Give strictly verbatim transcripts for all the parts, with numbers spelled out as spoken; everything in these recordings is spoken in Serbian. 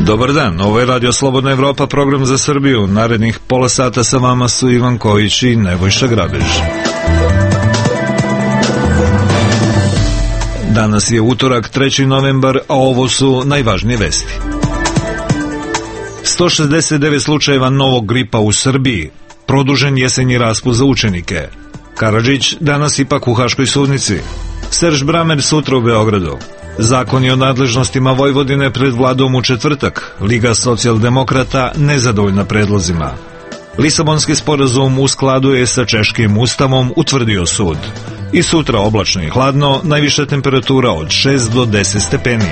Dobar dan, ovo je Radio Slobodna Evropa, program za Srbiju. Narednih pola sata sa vama su Ivan Kojić i Nebojša Grabež. Danas je utorak, treći novembar, a ovo su najvažnije vesti. sto šezdeset devet slučajeva novog gripa u Srbiji, produžen jesenji raspust za učenike. Karadžić danas ipak u Haškoj sudnici. Serž Bramer sutra u Beogradu. Zakoni o nadležnostima Vojvodine pred vladom u četvrtak. Liga socijaldemokrata nezadovoljna predlozima. Lisabonski sporazum u skladu je sa češkim ustavom, utvrdio sud. I sutra oblačno i hladno, najviša temperatura od šest do deset stepeni.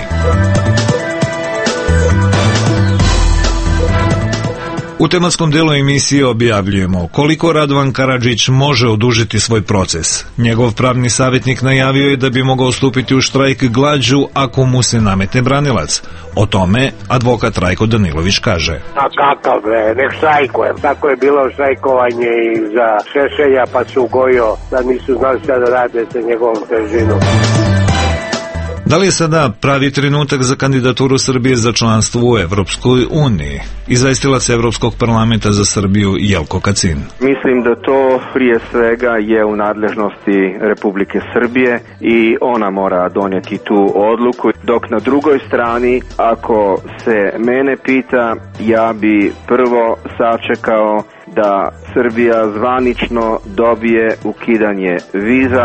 U tematskom delu emisije objavljujemo koliko Radovan Karadžić može odužiti svoj proces. Njegov pravni savjetnik najavio je da bi mogao stupiti u štrajk glađu ako mu se nametne branilac. O tome advokat Rajko Danilović kaže. A kakav bre, nek štrajkuje. Tako je bilo štrajkovanje i za Šešelja, pa su Gojo, da nisu znali šta da rade sa njegovom težinom. Da li je sada pravi trenutak za kandidaturu Srbije za članstvo u Evropskoj uniji? Izvestilac Evropskog parlamenta za Srbiju Jelko Kacin. Mislim da to prije svega je u nadležnosti Republike Srbije i ona mora donijeti tu odluku. Dok na drugoj strani, ako se mene pita, ja bi prvo sačekao da Srbija zvanično dobije ukidanje viza.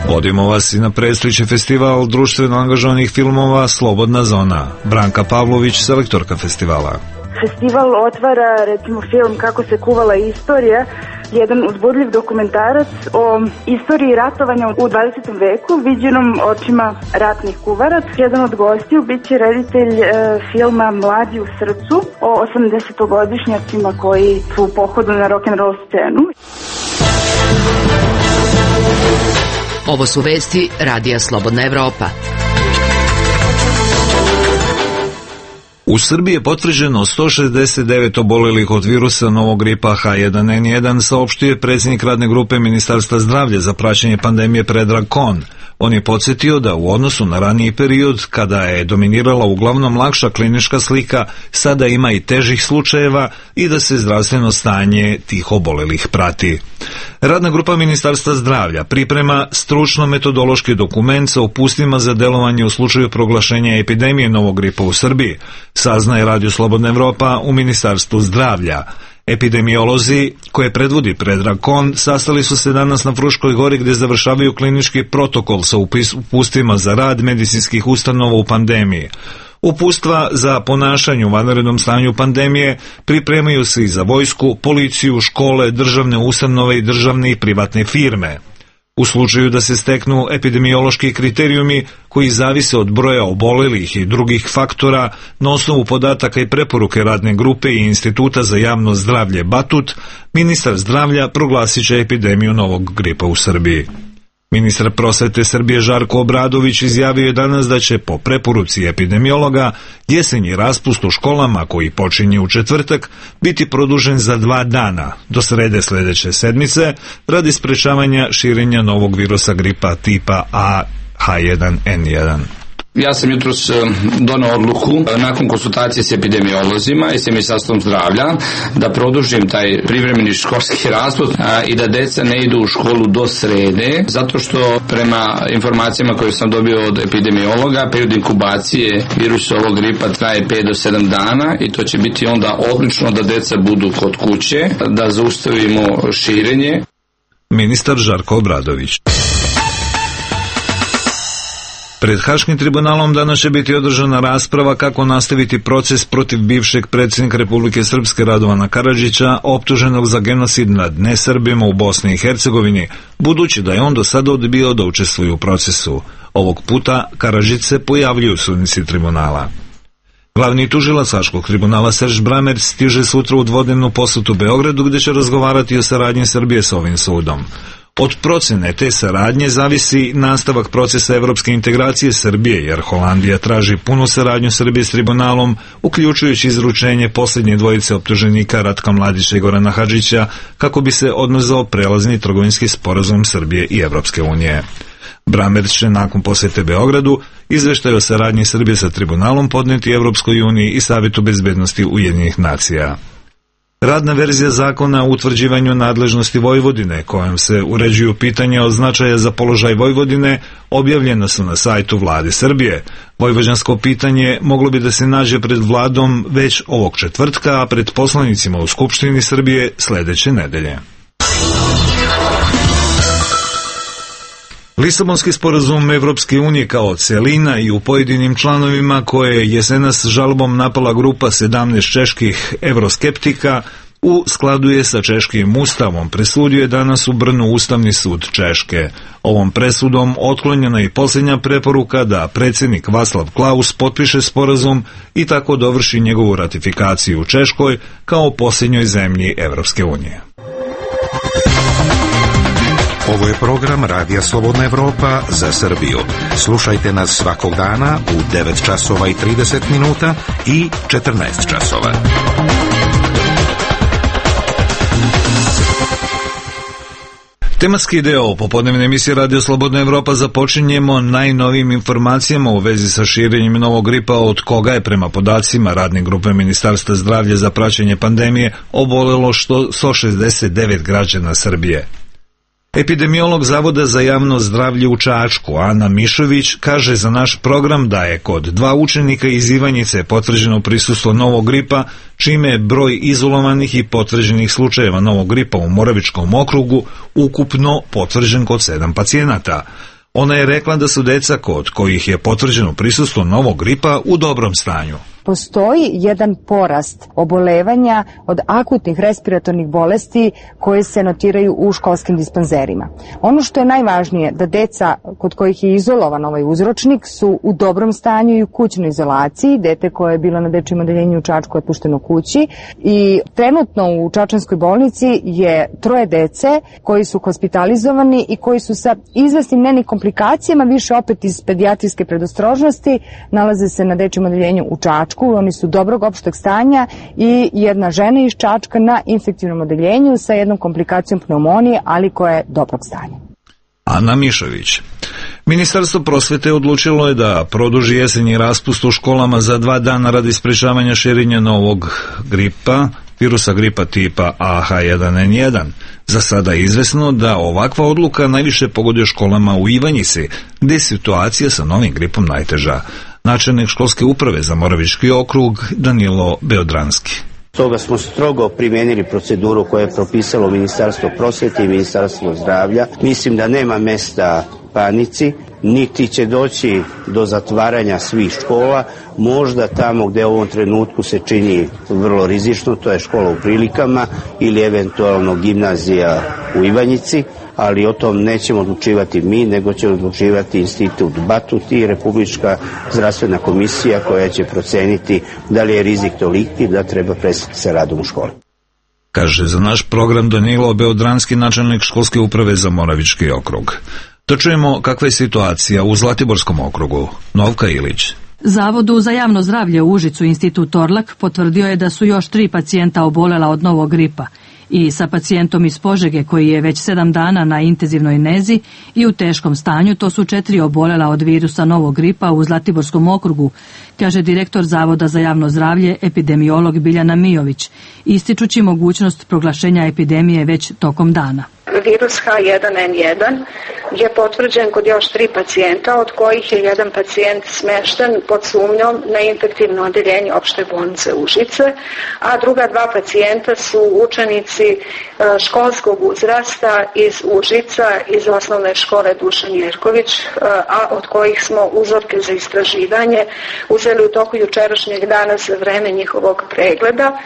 Vodimo vas i na predstojeći festival društveno angažovanih filmova Slobodna zona. Branka Pavlović, selektorka festivala. Festival otvara, recimo, film Kako se kuvala istorija, jedan uzbudljiv dokumentarac o istoriji ratovanja u dvadesetom veku, viđenom očima ratnih kuvaraca. Jedan od gostiju bit će reditelj e, filma Mladi u srcu o osamdesetogodišnjacima koji su u pohodu na rock'n'roll scenu. Ovo su vesti Radija Slobodna Evropa. U Srbiji je potvrđeno sto šezdeset devet obolelih od virusa novog gripa H jedan N jedan, saopštio je predsjednik radne grupe Ministarstva zdravlja za praćenje pandemije Predrag Kon. On je podsjetio da u odnosu na raniji period, kada je dominirala uglavnom lakša klinička slika, sada ima i težih slučajeva i da se zdravstveno stanje tih obolelih prati. Radna grupa Ministarstva zdravlja priprema stručno-metodološki dokument sa upustvima za delovanje u slučaju proglašenja epidemije novog gripa u Srbiji, saznaje Radio Slobodna Evropa u Ministarstvu zdravlja. Epidemiolozi, koje predvodi Predrag Kon, sastali su se danas na Fruškoj gori gdje završavaju klinički protokol sa upustvima za rad medicinskih ustanova u pandemiji. Upustva za ponašanje u vanrednom stanju pandemije pripremaju se i za vojsku, policiju, škole, državne ustanove i državne i privatne firme. U slučaju da se steknu epidemiološki kriterijumi koji zavise od broja obolelih i drugih faktora, na osnovu podataka i preporuke radne grupe i Instituta za javno zdravlje Batut, ministar zdravlja proglasit će epidemiju novog gripa u Srbiji. Ministar prosvete Srbije Žarko Obradović izjavio je danas da će po preporuci epidemiologa jesenji raspust u školama koji počinje u četvrtak biti produžen za dva dana do srede sljedeće sedmice radi sprečavanja širenja novog virusa gripa tipa A H jedan N jedan. Ja sam jutros donao odluku nakon konsultacije s epidemiolozima i s Ministarstvom zdravlja da produžim taj privremeni školski raspust i da deca ne idu u školu do srede, zato što prema informacijama koje sam dobio od epidemiologa, period inkubacije virusa ovog gripa traje pet do sedam dana i to će biti onda odlično da deca budu kod kuće, da zaustavimo širenje. Ministar Žarko Obradović. Pred Haškim tribunalom danas će biti održana rasprava kako nastaviti proces protiv bivšeg predsjednika Republike Srpske Radovana Karadžića, optuženog za genocid nad nesrbima u Bosni i Hercegovini, budući da je on do sada odbio da učestvuje u procesu. Ovog puta Karadžić se pojavljuje u sudnici tribunala. Glavni tužilac Haškog tribunala Serž Bramer stiže sutra u dvodnevnu posjetu Beogradu gdje će razgovarati o saradnji Srbije s ovim sudom. Od procene te saradnje zavisi nastavak procesa evropske integracije Srbije, jer Holandija traži punu saradnju Srbije s tribunalom, uključujući izručenje posljednje dvojice optuženika Ratka Mladića i Gorana Hadžića, kako bi se odmrzao prelazni trgovinski sporazum Srbije i Evropske unije. Bramer će nakon posjete Beogradu izveštaj o saradnji Srbije sa tribunalom podneti Evropskoj uniji i Savetu bezbednosti Ujedinjenih nacija. Radna verzija zakona o utvrđivanju nadležnosti Vojvodine, kojom se uređuju pitanja od značaja za položaj Vojvodine, objavljena su na sajtu Vlade Srbije. Vojvođansko pitanje moglo bi da se nađe pred vladom već ovog četvrtka, a pred poslanicima u Skupštini Srbije sledeće nedelje. Lisabonski sporazum Evropske unije kao celina i u pojedinim članovima koje je jesenas žalbom napala grupa sedamnaest čeških evroskeptika u skladu je sa češkim ustavom, presudio je danas u Brnu Ustavni sud Češke. Ovom presudom otklonjena je i posljednja preporuka da predsjednik Václav Klaus potpiše sporazum i tako dovrši njegovu ratifikaciju u Češkoj kao posljednjoj zemlji Evropske unije. Ovo je program Radija Slobodna Evropa za Srbiju. Slušajte nas svakog dana u devet časova i trideset minuta i četrnaest časova. Tematski deo popodnevne emisije Radio Slobodna Evropa započinjemo najnovijim informacijama u vezi sa širenjem novog gripa, od koga je prema podacima radne grupe Ministarstva zdravlja za praćenje pandemije obolelo sto šezdeset devet građana Srbije. Epidemiolog Zavoda za javno zdravlje u Čačku, Ana Mišović, kaže za naš program da je kod dva učenika iz Ivanjice potvrđeno prisustvo novog gripa, čime je broj izolovanih i potvrđenih slučajeva novog gripa u Moravičkom okrugu ukupno potvrđen kod sedam pacijenata. Ona je rekla da su deca kod kojih je potvrđeno prisustvo novog gripa u dobrom stanju. Postoji jedan porast obolevanja od akutnih respiratornih bolesti koje se notiraju u školskim dispanzerima. Ono što je najvažnije da deca kod kojih je izolovan ovaj uzročnik su u dobrom stanju i u kućnoj izolaciji. Dete koje je bilo na dečjem odeljenju u Čačku je pušteno kući i trenutno u Čačanskoj bolnici je troje dece koji su hospitalizovani i koji su sa izvesnim nenim komplikacijama, više opet iz pedijatrijske predostrožnosti, nalaze se na dečjem odeljenju u Čačku. Oni su dobrog opšteg stanja i jedna žena iz Čačka na infektivnom odeljenju sa jednom komplikacijom pneumonije, ali koja je dobrog stanja. Ana Mišović. Ministarstvo prosvete odlučilo je da produži jesenji raspust u školama za dva dana radi sprečavanja širenja novog gripa, virusa gripa tipa A H jedan N jedan. Za sada je izvesno da ovakva odluka najviše pogoduje školama u Ivanjici, gde je situacija sa novim gripom najteža. Načelnik školske uprave za Moravički okrug Danilo Beodranski. Stoga smo strogo primijenili proceduru koju je propisalo Ministarstvo prosvete i Ministarstvo zdravlja. Mislim da nema mesta panici, niti će doći do zatvaranja svih škola. Možda tamo gde u ovom trenutku se čini vrlo rizično, to je škola u Prilikama ili eventualno gimnazija u Ivanjici, ali o tom nećemo odlučivati mi, nego će odlučivati Institut Batut i Republička zdravstvena komisija koja će proceniti da li je rizik toliki da treba prestati sa radom u školi. Kaže za naš program Danilo Beodranski, načelnik školske uprave za Moravički okrug. Da čujemo kakva je situacija u Zlatiborskom okrugu. Novka Ilić. Zavodu za javno zdravlje u Užicu Institut Torlak potvrdio je da su još tri pacijenta obolela od novog gripa i sa pacijentom iz Požege koji je već sedam dana na intenzivnoj nezi i u teškom stanju, to su četiri obolela od virusa novog gripa u Zlatiborskom okrugu, kaže direktor Zavoda za javno zdravlje epidemiolog Biljana Mijović, ističući mogućnost proglašenja epidemije već tokom dana. Virus H jedan N jedan je potvrđen kod još tri pacijenta, od kojih je jedan pacijent smešten pod sumnjom na infektivno odeljenje opšte bolnice Užice, a druga dva pacijenta su učenici školskog uzrasta iz Užica, iz osnovne škole Dušan Jerković, a od kojih smo uzorke za istraživanje uzeli u toku jučerašnjeg dana za vreme njihovog pregleda.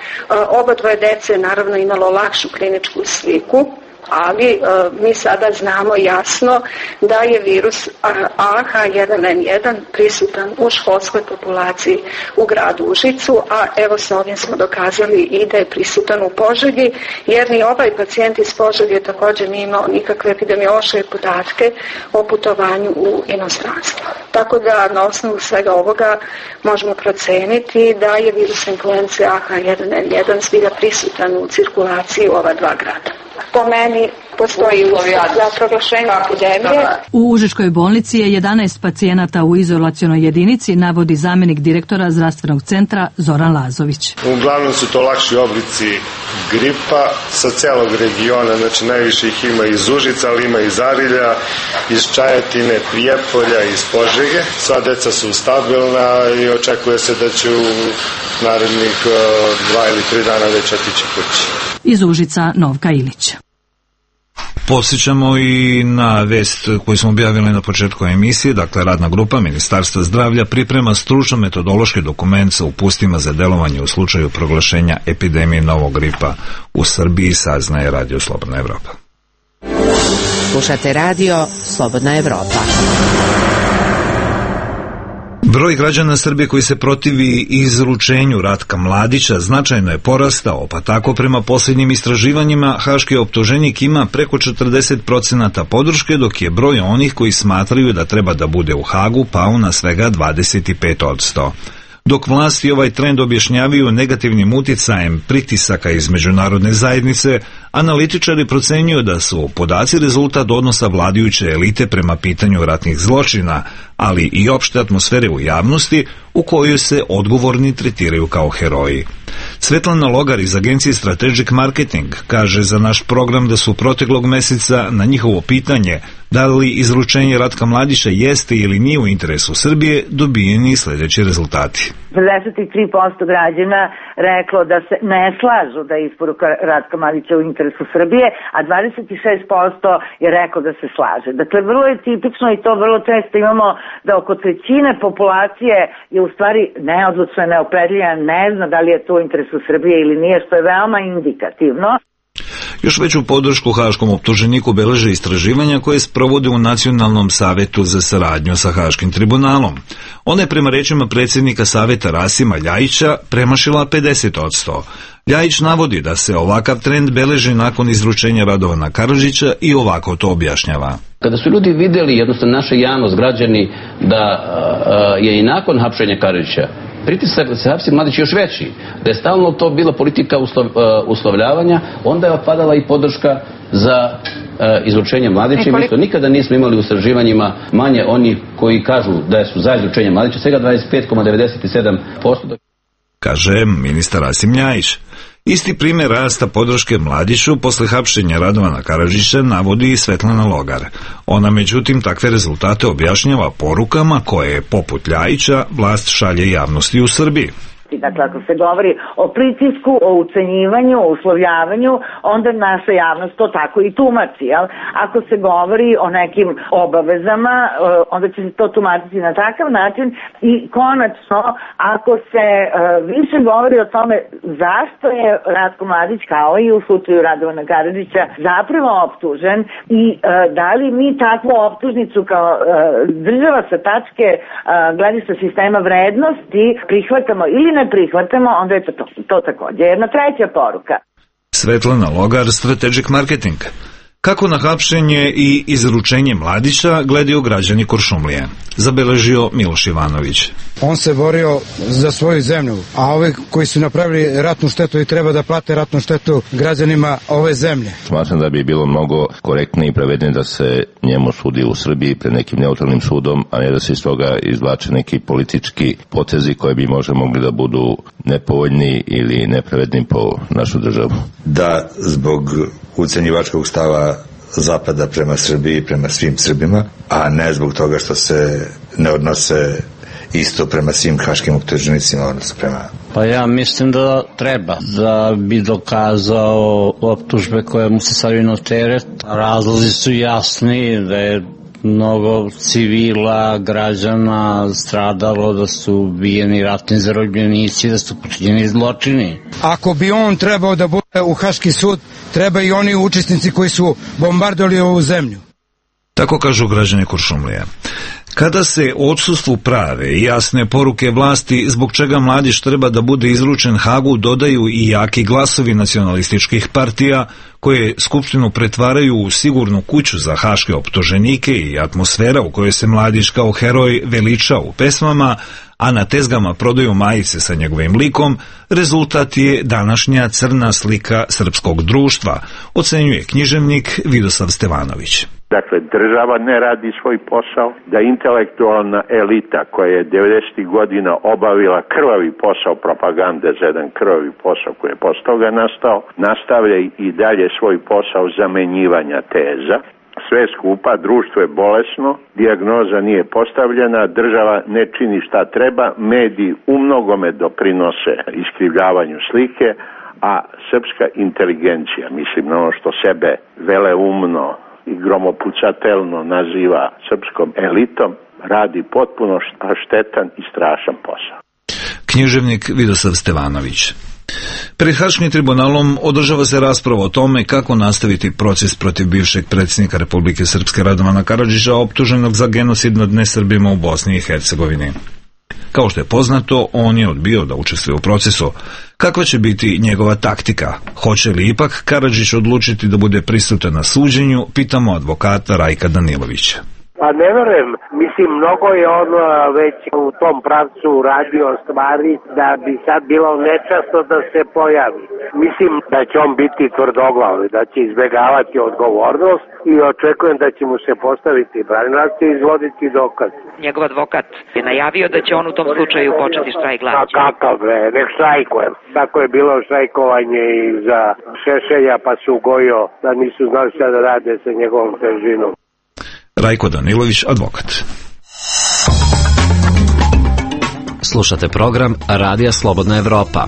Oba dvoje dece naravno imalo lakšu kliničku sliku. ali e, mi sada znamo jasno da je virus A H jedan N jedan prisutan u školskoj populaciji u gradu Užicu, a evo s ovim smo dokazali i da je prisutan u Požegi, jer ni ovaj pacijent iz Požege također nije imao nikakve epidemiološke podatke o putovanju u inostranstvo. Tako da na osnovu svega ovoga možemo proceniti da je virus influence A H jedan N jedan zbilja prisutan u cirkulaciji u ova dva grada. Po meni postoji uslovi za proglašenje epidemije. U Užičkoj bolnici je jedanaest pacijenata u izolacionoj jedinici, navodi zamjenik direktora zdravstvenog centra Zoran Lazović. Uglavnom su to lakši oblici gripa sa celog regiona, znači najviše ih ima iz Užica, ali ima iz Arilja, iz Čajetine, Prijepolja, iz Požege. Sva deca su stabilna i očekuje se da će u narednih dva ili tri dana već otići kući. Iz Užica Novka Ilić. Podsjećamo i na vest koju smo objavili na početku emisije, dakle radna grupa Ministarstva zdravlja priprema stručno-metodološki dokument sa upustima za delovanje u slučaju proglašenja epidemije novog gripa u Srbiji, saznaje Radio Slobodna Evropa. Slušate Radio Slobodna Evropa. Broj građana Srbije koji se protivi izručenju Ratka Mladića značajno je porastao, pa tako prema posljednjim istraživanjima haški optuženik ima preko četrdeset procenata podrške, dok je broj onih koji smatraju da treba da bude u Hagu pao na svega dvadeset pet posto. Dok vlasti ovaj trend objašnjavaju negativnim uticajem pritisaka iz međunarodne zajednice, analitičari procenjuju da su podaci rezultat odnosa vladajuće elite prema pitanju ratnih zločina, ali i opšte atmosfere u javnosti u kojoj se odgovorni tretiraju kao heroji. Svetlana Logar iz agencije Strategic Marketing kaže za naš program da su proteklog meseca na njihovo pitanje da li izručenje Ratka Mladića jeste ili nije u interesu Srbije dobijeni sljedeći rezultati. pedeset tri posto građana reklo da se ne slažu da je isporuka Ratka Mladića u interesu Srbije, a dvadeset šest posto je reklo da se slaže. Dakle, vrlo je tipično i to vrlo često imamo da oko trećine populacije je u stvari neodlučna, neopredeljena, ne zna da li je to u interesu Srbije ili nije, što je veoma indikativno. Još veću podršku haškom optuženiku beleže istraživanja koje sprovode u Nacionalnom savetu za saradnju sa Haškim tribunalom. Ona je prema rečima predsjednika saveta Rasima Ljajića premašila pedeset posto. Ljajić navodi da se ovakav trend beleži nakon izručenja Radovana Karadžića i ovako to objašnjava. Kada su ljudi vidjeli, jednostavno naša javnost, građani, da a, je i nakon hapšenja Karadžića pritisak da se hapsi Mladić još veći, da je stalno to bila politika uslov, uh, uslovljavanja, onda je opadala i podrška za uh, izručenje Mladića. Mi to nikada nismo imali u istraživanjima manje oni koji kažu da su za izručenje Mladića, svega dvadeset pet zarez devedeset sedam posto. Kaže ministar Rasim Ljajić. Isti primjer rasta podrške Mladiću posle hapšenja Radovana Karadžića navodi i Svetlana Logar. Ona međutim takve rezultate objašnjava porukama koje, poput Ljajića, vlast šalje javnosti u Srbiji. Dakle, ako se govori o pritisku, o ucenjivanju, o uslovljavanju, onda naša javnost to tako i tumači. Jel? Ako se govori o nekim obavezama, onda će se to tumačiti na takav način i konačno, ako se uh, više govori o tome zašto je Ratko Mladić, kao i u slučaju Radovana Karadžića, zapravo optužen i uh, da li mi takvu optužnicu kao uh, država sa tačke uh, gledišta sistema vrednosti prihvatamo ili ne prihvatamo, onda je to, to, to također jedna treća poruka. Svetlana Logar, Strategic Marketing. Kako na hapšenje i izručenje Mladića gledaju građani Kuršumlije? Zabeležio Miloš Ivanović. On se borio za svoju zemlju, a ovi koji su napravili ratnu štetu i treba da plate ratnu štetu građanima ove zemlje. Smatram da bi bilo mnogo korektnije i pravednije da se njemu sudi u Srbiji pred nekim neutralnim sudom, a ne da se iz toga izvlače neki politički potezi koji bi možda mogli da budu nepovoljni ili nepravedni po našu državu. Da zbog ucenjivačkog stava Zapada prema Srbiji, prema svim Srbima, a ne zbog toga što se ne odnose isto prema svim haškim optuženicima, odnosno prema... Pa ja mislim da treba, da bi dokazao optužbe koje mu se stavljaju na teret. Razlozi su jasni, da je mnogo civila, građana stradalo, da su ubijeni ratni zarobljenici, da su počinjeni zločini. Ako bi on trebao da bude u Haški sud, treba i oni učesnici koji su bombardovali ovu zemlju. Tako kažu građani Kuršumlije. Kada se odsustvu prave i jasne poruke vlasti zbog čega mladić treba da bude izručen Hagu dodaju i jaki glasovi nacionalističkih partija koje Skupštinu pretvaraju u sigurnu kuću za haške optuženike i atmosfera u kojoj se mladić kao heroj veliča u pesmama, a na tezgama prodaju majice sa njegovim likom, rezultat je današnja crna slika srpskog društva, ocenjuje književnik Vidosav Stevanović. Dakle, država ne radi svoj posao, da intelektualna elita koja je devedesetih godina obavila krvavi posao propagande za jedan krvavi posao koji je posle toga nastao, nastavlja i dalje svoj posao zamenjivanja teza. Sve skupa, društvo je bolesno, dijagnoza nije postavljena, država ne čini šta treba, mediji u mnogome doprinose iskrivljavanju slike, a srpska inteligencija, mislim na ono što sebe veleumno i gromopucatelno naziva srpskom elitom, radi potpuno štetan i strašan posao. Književnik Vidosav Stevanović. Pred Haškim tribunalom održava se rasprava o tome kako nastaviti proces protiv bivšeg predsjednika Republike Srpske Radovana Karadžića, optuženog za genocid nad nesrbima u Bosni i Hercegovini. Kao što je poznato, on je odbio da učestvuje u procesu. Kakva će biti njegova taktika? Hoće li ipak Karadžić odlučiti da bude prisutan na suđenju? Pitamo advokata Rajka Danilovića. Pa ne verujem, mislim, mnogo je on već u tom pravcu radio stvari da bi sad bilo nečasno da se pojavi. Mislim da će on biti tvrdoglav, da će izbjegavati odgovornost i očekujem da će mu se postaviti branilac i izvoditi dokaz. Njegov advokat je najavio da će on u tom slučaju početi štrajk glađu. A kakav bre, nek štrajkuje. Tako je bilo štrajkovanje i za Šešelja, pa su gojio da nisu znali šta da rade sa njegovom težinom. Rajko Danilović, advokat. Slušate program Radija Slobodna Evropa.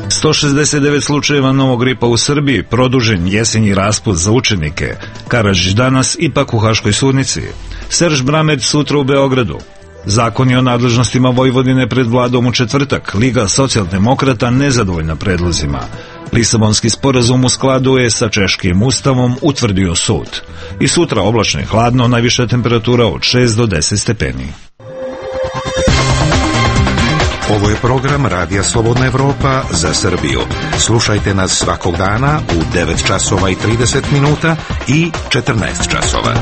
sto šezdeset devet slučajeva novog gripa u Srbiji, produžen jesenji raspust za učenike. Karadžić danas ipak u Haškoj sudnici. Serž Bramer sutra u Beogradu. Zakoni o nadležnostima Vojvodine pred vladom u četvrtak. Liga socijaldemokrata nezadovoljna predlozima. Lisabonski sporazum u skladu je sa češkim ustavom, utvrdio sud. I sutra oblačno i hladno, najviša temperatura od šest do deset stepeni. Ovo je program Radija Slobodna Evropa za Srbiju. Slušajte nas svakog dana u devet časova i trideset minuta i četrnaest časova.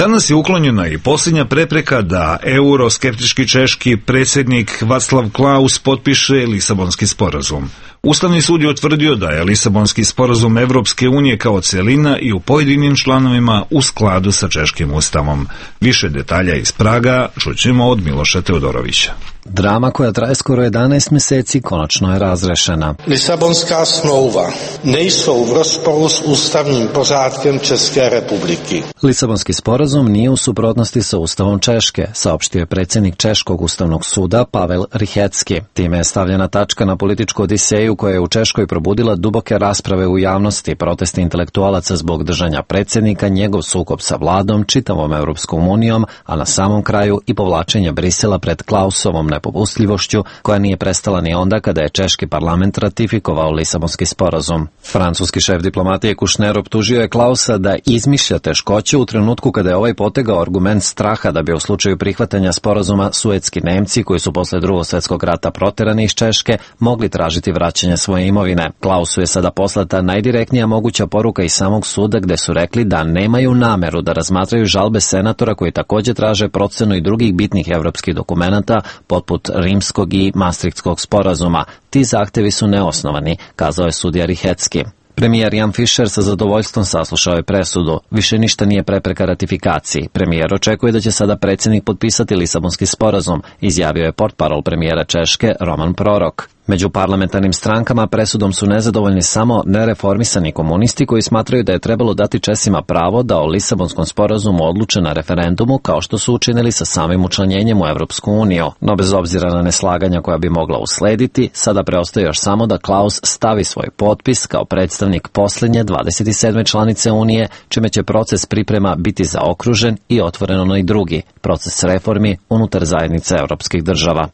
Danas je uklonjena i posljednja prepreka da euroskeptički češki predsjednik Václav Klaus potpiše Lisabonski sporazum. Ustavni sud je utvrdio da je Lisabonski sporazum Evropske unije kao celina i u pojedinim članovima u skladu sa češkim ustavom. Više detalja iz Praga čućemo od Miloša Teodorovića. Drama koja traje skoro jedanaest mjeseci konačno je razrešena. Lisabonská smlouva nejsou v rozporu s ústavním pořádkem České republiky. Lisabonski sporazum nije u suprotnosti sa Ustavom Češke, saopštio je predsjednik Češkog ustavnog suda Pavel Rychecki. Time je stavljena tačka na političku odiseju koja je u Češkoj probudila duboke rasprave u javnosti, protesti intelektualaca zbog držanja predsjednika, njegov sukob sa vladom, čitavom Europskom unijom, a na samom kraju i povlačenje Brisela pred Klausovom nepopustljivošću koja nije prestala ni onda kada je češki parlament ratifikovao Lisabonski sporazum. Francuski šef diplomatije Kušner optužio je Klausa da izmišlja teškoće u trenutku kada je ovaj potegao argument straha da bi u slučaju prihvatanja sporazuma suetski Nemci, koji su posle drugog svjetskog rata proterani iz Češke, mogli tražiti vraćanje svoje imovine. Klausu je sada poslata najdirektnija moguća poruka iz samog suda gde su rekli da nemaju nameru da razmatraju žalbe senatora koji također traže procenu i drugih bitnih evropskih dokumenata poput Rimskog i Maastrichtskog sporazuma. Ti zahtevi su neosnovani, kazao je sudija Rychecki. Premijer Jan Fischer sa zadovoljstvom saslušao je presudu. Više ništa nije prepreka ratifikaciji. Premijer očekuje da će sada predsjednik potpisati Lisabonski sporazum, izjavio je portparol premijera Češke Roman Prorok. Među parlamentarnim strankama presudom su nezadovoljni samo nereformisani komunisti koji smatraju da je trebalo dati Česima pravo da o Lisabonskom sporazumu odluče na referendumu kao što su učinili sa samim učlanjenjem u Evropsku uniju. No bez obzira na neslaganja koja bi mogla uslediti, sada preostaje još samo da Klaus stavi svoj potpis kao predstavnik posljednje dvadeset sedme članice Unije, čime će proces priprema biti zaokružen i otvoren onaj drugi, proces reformi unutar zajednice evropskih država.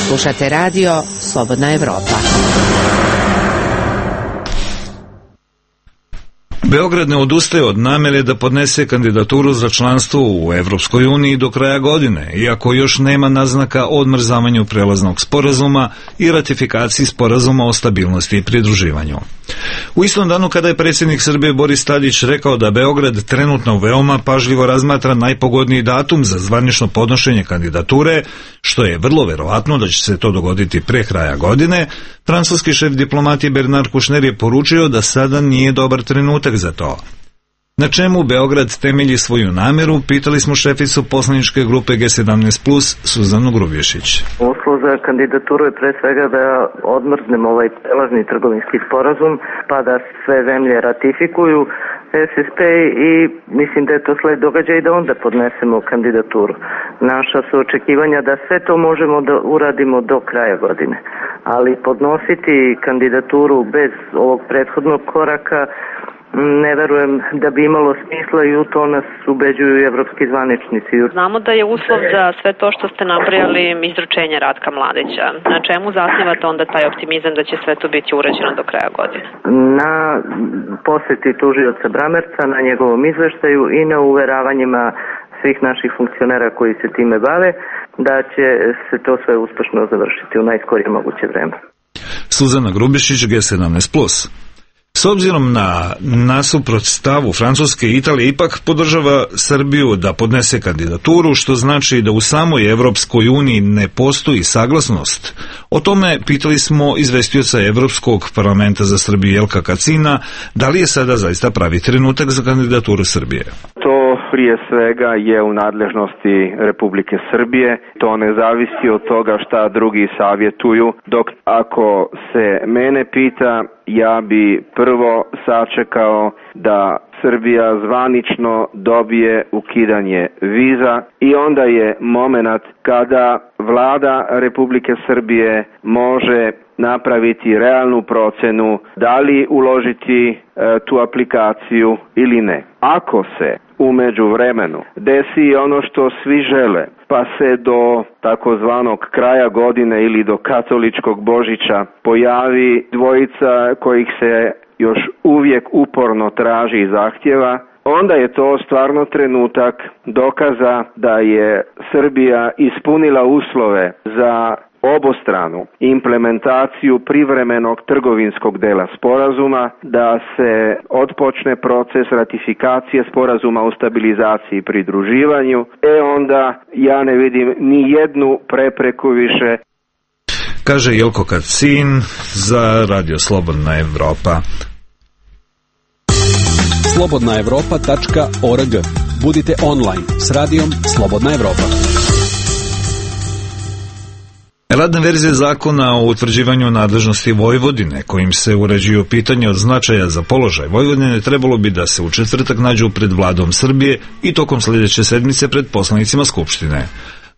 Slušate radio Slobodna Evropa. Beograd ne odustaje od namere da podnese kandidaturu za članstvo u Evropskoj uniji do kraja godine, iako još nema naznaka o odmrzavanju prelaznog sporazuma i ratifikaciji sporazuma o stabilnosti i pridruživanju. U istom danu kada je predsjednik Srbije Boris Tadić rekao da Beograd trenutno veoma pažljivo razmatra najpogodniji datum za zvanično podnošenje kandidature, što je vrlo verovatno da će se to dogoditi pre kraja godine, francuski šef diplomatije Bernard Kouchner je poručio da sada nije dobar trenutak za to. Na čemu Beograd temelji svoju nameru, pitali smo šeficu poslaničke grupe G sedamnaest plus, Suzanu Grubješić. Uslov za kandidaturu je pre svega da odmrznemo ovaj prelazni trgovinski sporazum, pa da sve zemlje ratifikuju S S P i mislim da je to sled događaja i da onda podnesemo kandidaturu. Naša su očekivanja da sve to možemo da uradimo do kraja godine, ali podnositi kandidaturu bez ovog prethodnog koraka ne verujem da bi imalo smisla i u to nas ubeđuju evropski zvaničnici. Znamo da je uslov za sve to što ste nabrojali izručenje Ratka Mladića. Na čemu zasnivate onda taj optimizam da će sve to biti urađeno do kraja godine? Na poseti tužioca Bramerca, na njegovom izveštaju i na uveravanjima svih naših funkcionera koji se time bave, da će se to sve uspešno završiti u najskorije moguće vreme. Suzana Grubješić, G sedamnaest plus. S obzirom na nasuprot stavu Francuske i Italije ipak podržava Srbiju da podnese kandidaturu, što znači da u samoj Evropskoj uniji ne postoji saglasnost. O tome pitali smo izvestioca Evropskog parlamenta za Srbiju Jelka Kacina, da li je sada zaista pravi trenutak za kandidaturu Srbije. To prije svega je u nadležnosti Republike Srbije, to ne zavisi od toga šta drugi savjetuju, dok ako se mene pita, ja bi prvo sačekao da Srbija zvanično dobije ukidanje viza i onda je momenat kada vlada Republike Srbije može napraviti realnu procenu da li uložiti e, tu aplikaciju ili ne. Ako se u međuvremenu desi ono što svi žele, pa se do takozvanog kraja godine ili do katoličkog Božića pojavi dvojica kojih se još uvijek uporno traži i zahtjeva, onda je to stvarno trenutak dokaza da je Srbija ispunila uslove za obostranu implementaciju privremenog trgovinskog dela sporazuma, da se otpočne proces ratifikacije sporazuma o stabilizaciji i pridruživanju, e onda ja ne vidim ni jednu prepreku više. Kaže Jelko Kacin za Radio Slobodna Evropa. slobodna evropa tačka org. Budite online s radijom Slobodna Evropa. Radna verzija zakona o utvrđivanju nadležnosti Vojvodine, kojim se uređuju pitanje od značaja za položaj Vojvodine, trebalo bi da se u četvrtak nađu pred vladom Srbije i tokom sljedeće sedmice pred poslanicima Skupštine.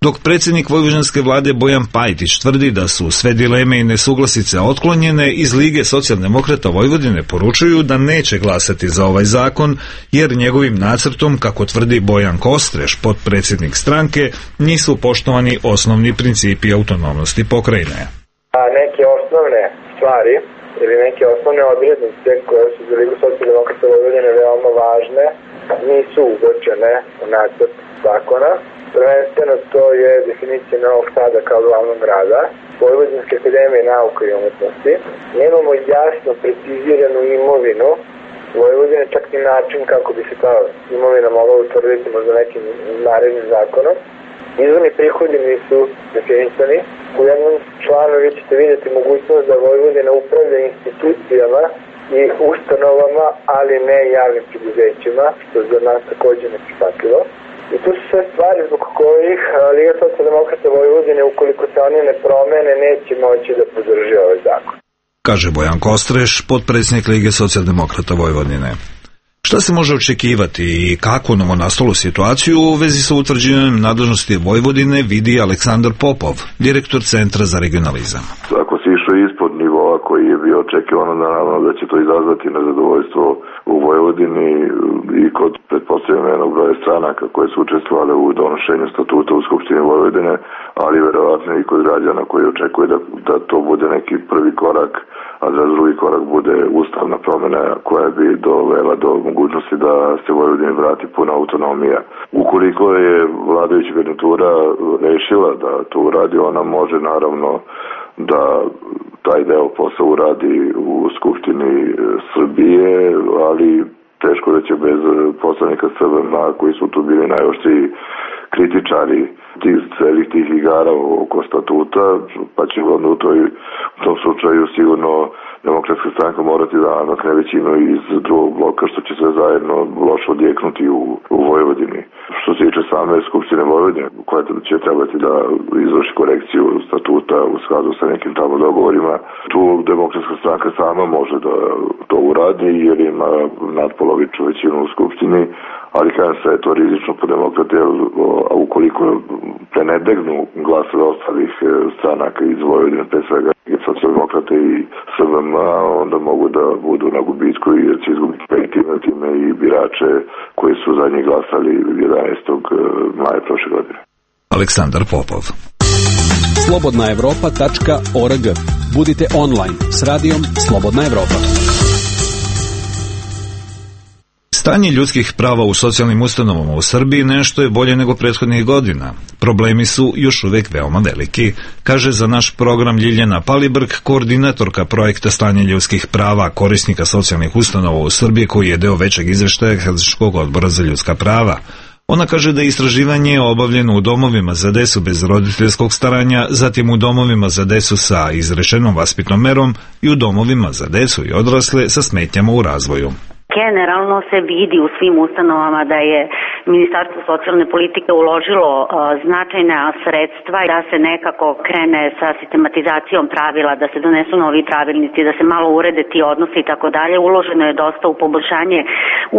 Dok predsjednik vojvođanske vlade Bojan Pajtić tvrdi da su sve dileme i nesuglasice otklonjene, iz Lige socijaldemokrata Vojvodine poručuju da neće glasati za ovaj zakon, jer njegovim nacrtom, kako tvrdi Bojan Kostreš, potpredsjednik stranke, nisu poštovani osnovni principi autonomnosti pokrajine. A neke osnovne stvari ili neke osnovne odrednice koje su za Ligu socijaldemokrata Vojvodine veoma važne nisu ugočene u nacrt zakona. Prvenstveno to je definicija Novog Sada kao glavnog grada, Vojvodinske akademije nauke i umetnosti. Nemamo jasno preciziranu imovinu Vojvodine, čak i način kako bi se ta imovina mogla utvrditi možda nekim narednim zakonom. Izvorni prihodi nisu definisani. U jednom članu vi ćete vidjeti mogućnost da Vojvodina upravlja institucijama i ustanovama, ali ne javnim preduzećima, što je za nas također neprihvatljivo. I to su sve stvari zbog kojih Liga socijaldemokrata Vojvodine, ukoliko se oni ne promene, neće moći da podrži ovaj zakon. Kaže Bojan Kostreš, potpredsjednik Lige socijaldemokrata Vojvodine. Šta se može očekivati i kako novonastalu situaciju u vezi sa utvrđivanjem nadležnosti Vojvodine vidi Aleksandar Popov, direktor Centra za regionalizam. Ako se išao ispod nivoa koji je bio očekivano, naravno da će to izazvati nezadovoljstvo u Vojvodini i kod pretpostavljenog broja stranaka koje su učestvovale u donošenju statuta u Skupštini Vojvodine, ali verovatno i kod građana koji očekuje da, da to bude neki prvi korak, a da drugi korak bude ustavna promjena koja bi dovela do mogućnosti da se Vojvodini vrati puna autonomija. Ukoliko je vladajuća garnitura rešila da to uradi, ona može naravno da taj deo posla uradi u Skupštini Srbije, ali teško da će bez poslanika S V M koji su tu bili najoštriji kritičari tih celih tih igara oko statuta, pa će onda u, toj, u tom slučaju sigurno Demokratska stranka morati da namakne većinu iz drugog bloka, što će sve zajedno loše odjeknuti u, u Vojvodini. Što se tiče same Skupštine Vojvodine, koja će trebati da izvrši korekciju statuta u skladu sa nekim tamo dogovorima, tu Demokratska stranka sama može da to uradi jer ima nadpolovičnu većinu u Skupštini, ali kada se je to rizično po demokrate, a ukoliko prenedegnu glasove ostalih stranaka iz Vojvodine, pre svega socijaldemokrate i S V M, onda mogu da budu na gubitku i će izgubiti time i birače koji su za njih glasali jedanaestog maja prošle godine. Aleksandar Popov. slobodna evropa tačka org. Budite online s radijom Slobodna Evropa. Stanje ljudskih prava u socijalnim ustanovama u Srbiji nešto je bolje nego prethodnih godina. Problemi su još uvek veoma veliki, kaže za naš program Ljiljana Palibrk, koordinatorka projekta Stanje ljudskih prava korisnika socijalnih ustanova u Srbiji, koji je deo većeg izveštaja Helsinškog odbora za ljudska prava. Ona kaže da je istraživanje obavljeno u domovima za decu bez roditeljskog staranja, zatim u domovima za decu sa izrečenom vaspitnom merom i u domovima za decu i odrasle sa smetnjama u razvoju. Generalno se vidi u svim ustanovama da je Ministarstvo socijalne politike uložilo uh, značajna sredstva da se nekako krene sa sistematizacijom pravila, da se donesu novi pravilnici, da se malo urede ti odnosi i tako dalje. Uloženo je dosta u poboljšanje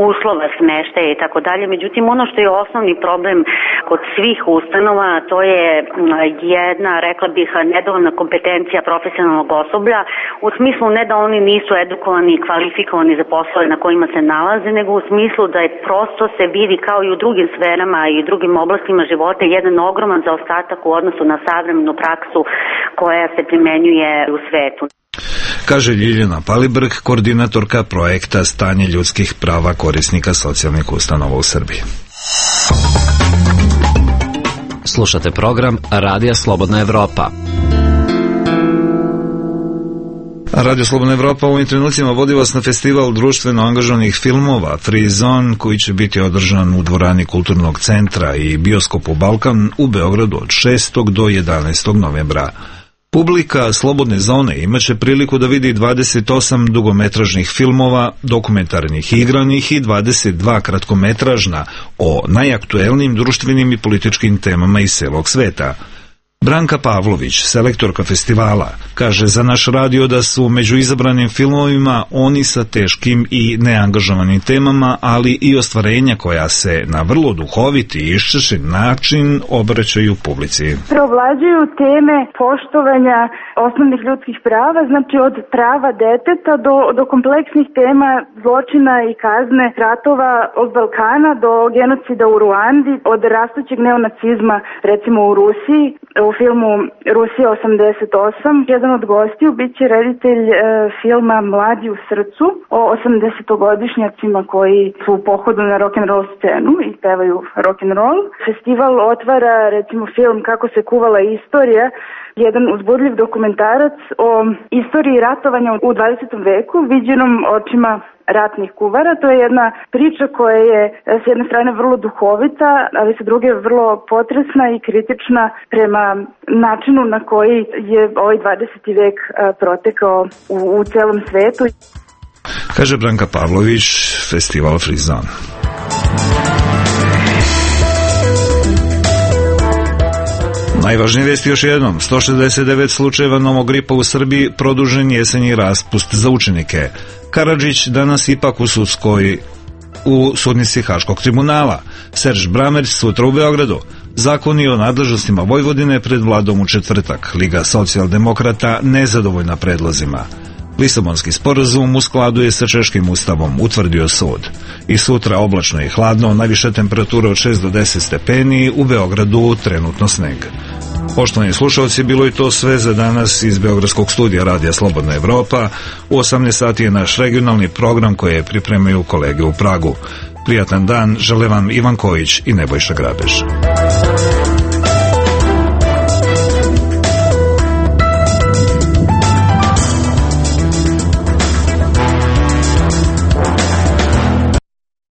uslova smeštaja i tako dalje. Međutim, ono što je osnovni problem kod svih ustanova, to je jedna, rekla bih, nedovoljna kompetencija profesionalnog osoblja, u smislu ne da oni nisu edukovani i kvalifikovani za poslove na kojima se nalaze, nego u smislu da je prosto se vidi kao i u drugim sferama i drugim oblastima života jedan ogroman zaostatak u odnosu na savremenu praksu koja se primenjuje u svetu. Kaže Ljiljana Palibrk, koordinatorka projekta Stanje ljudskih prava korisnika socijalnih ustanova u Srbiji. Slušate program Radija Slobodna Evropa. Radio Slobodna Evropa u ovim trenucima vodi vas na festival društveno angažovanih filmova Free Zone, koji će biti održan u dvorani Kulturnog centra i bioskopu Balkan u Beogradu od šestog do jedanaestog novembra. Publika Slobodne zone imaće priliku da vidi dvadeset osam dugometražnih filmova, dokumentarnih i igranih i dvadeset dva kratkometražna o najaktuelnijim društvenim i političkim temama iz celog sveta. Branka Pavlović, selektorka festivala, kaže za naš radio da su među izabranim filmovima oni sa teškim i neangažovanim temama, ali i ostvarenja koja se na vrlo duhovit i iščešen način obraćaju publici. Preovlađuju teme poštovanja osnovnih ljudskih prava, znači od prava deteta do, do kompleksnih tema zločina i kazne ratova od Balkana do genocida u Ruandi, od rastućeg neonacizma recimo u Rusiji. U filmu Rusija osamdeset osam jedan od gostiju biće reditelj e, filma Mladi u srcu o osamdesetogodišnjacima koji su u pohodu na rock'n'roll scenu i pevaju rock'n'roll. Festival otvara recimo film Kako se kuvala istorija, jedan uzbudljiv dokumentarac o istoriji ratovanja u dvadesetom veku viđenom očima ratnih kuvara. To je jedna priča koja je s jedne strane vrlo duhovita, ali sa druge vrlo potresna i kritična prema načinu na koji je ovaj dvadeseti vek protekao u, u celom svetu. Kaže Branka Pavlović, festival Free Zone. Najvažnije vijesti još jednom. sto šezdeset devet slučajeva novog gripa u Srbiji, produžen jesenji raspust za učenike. Karadžić danas ipak u sudskoj u sudnici Haškog tribunala. Serž Bramers sutra u Beogradu. Zakoni o nadležnostima Vojvodine pred vladom u četvrtak. Liga socijaldemokrata nezadovoljna predlozima. Lisabonski sporazum u skladu je sa češkim ustavom, utvrdio sud. I sutra oblačno i hladno, najviše temperature od šest do deset stepeni, u Beogradu trenutno sneg. Poštovani slušalci, bilo je to sve za danas iz Beogradskog studija Radija Slobodna Evropa. U osamnaest sati je naš regionalni program koje pripremaju kolege u Pragu. Prijatan dan, žele vam Ivan Kojić i Nebojša Grabež.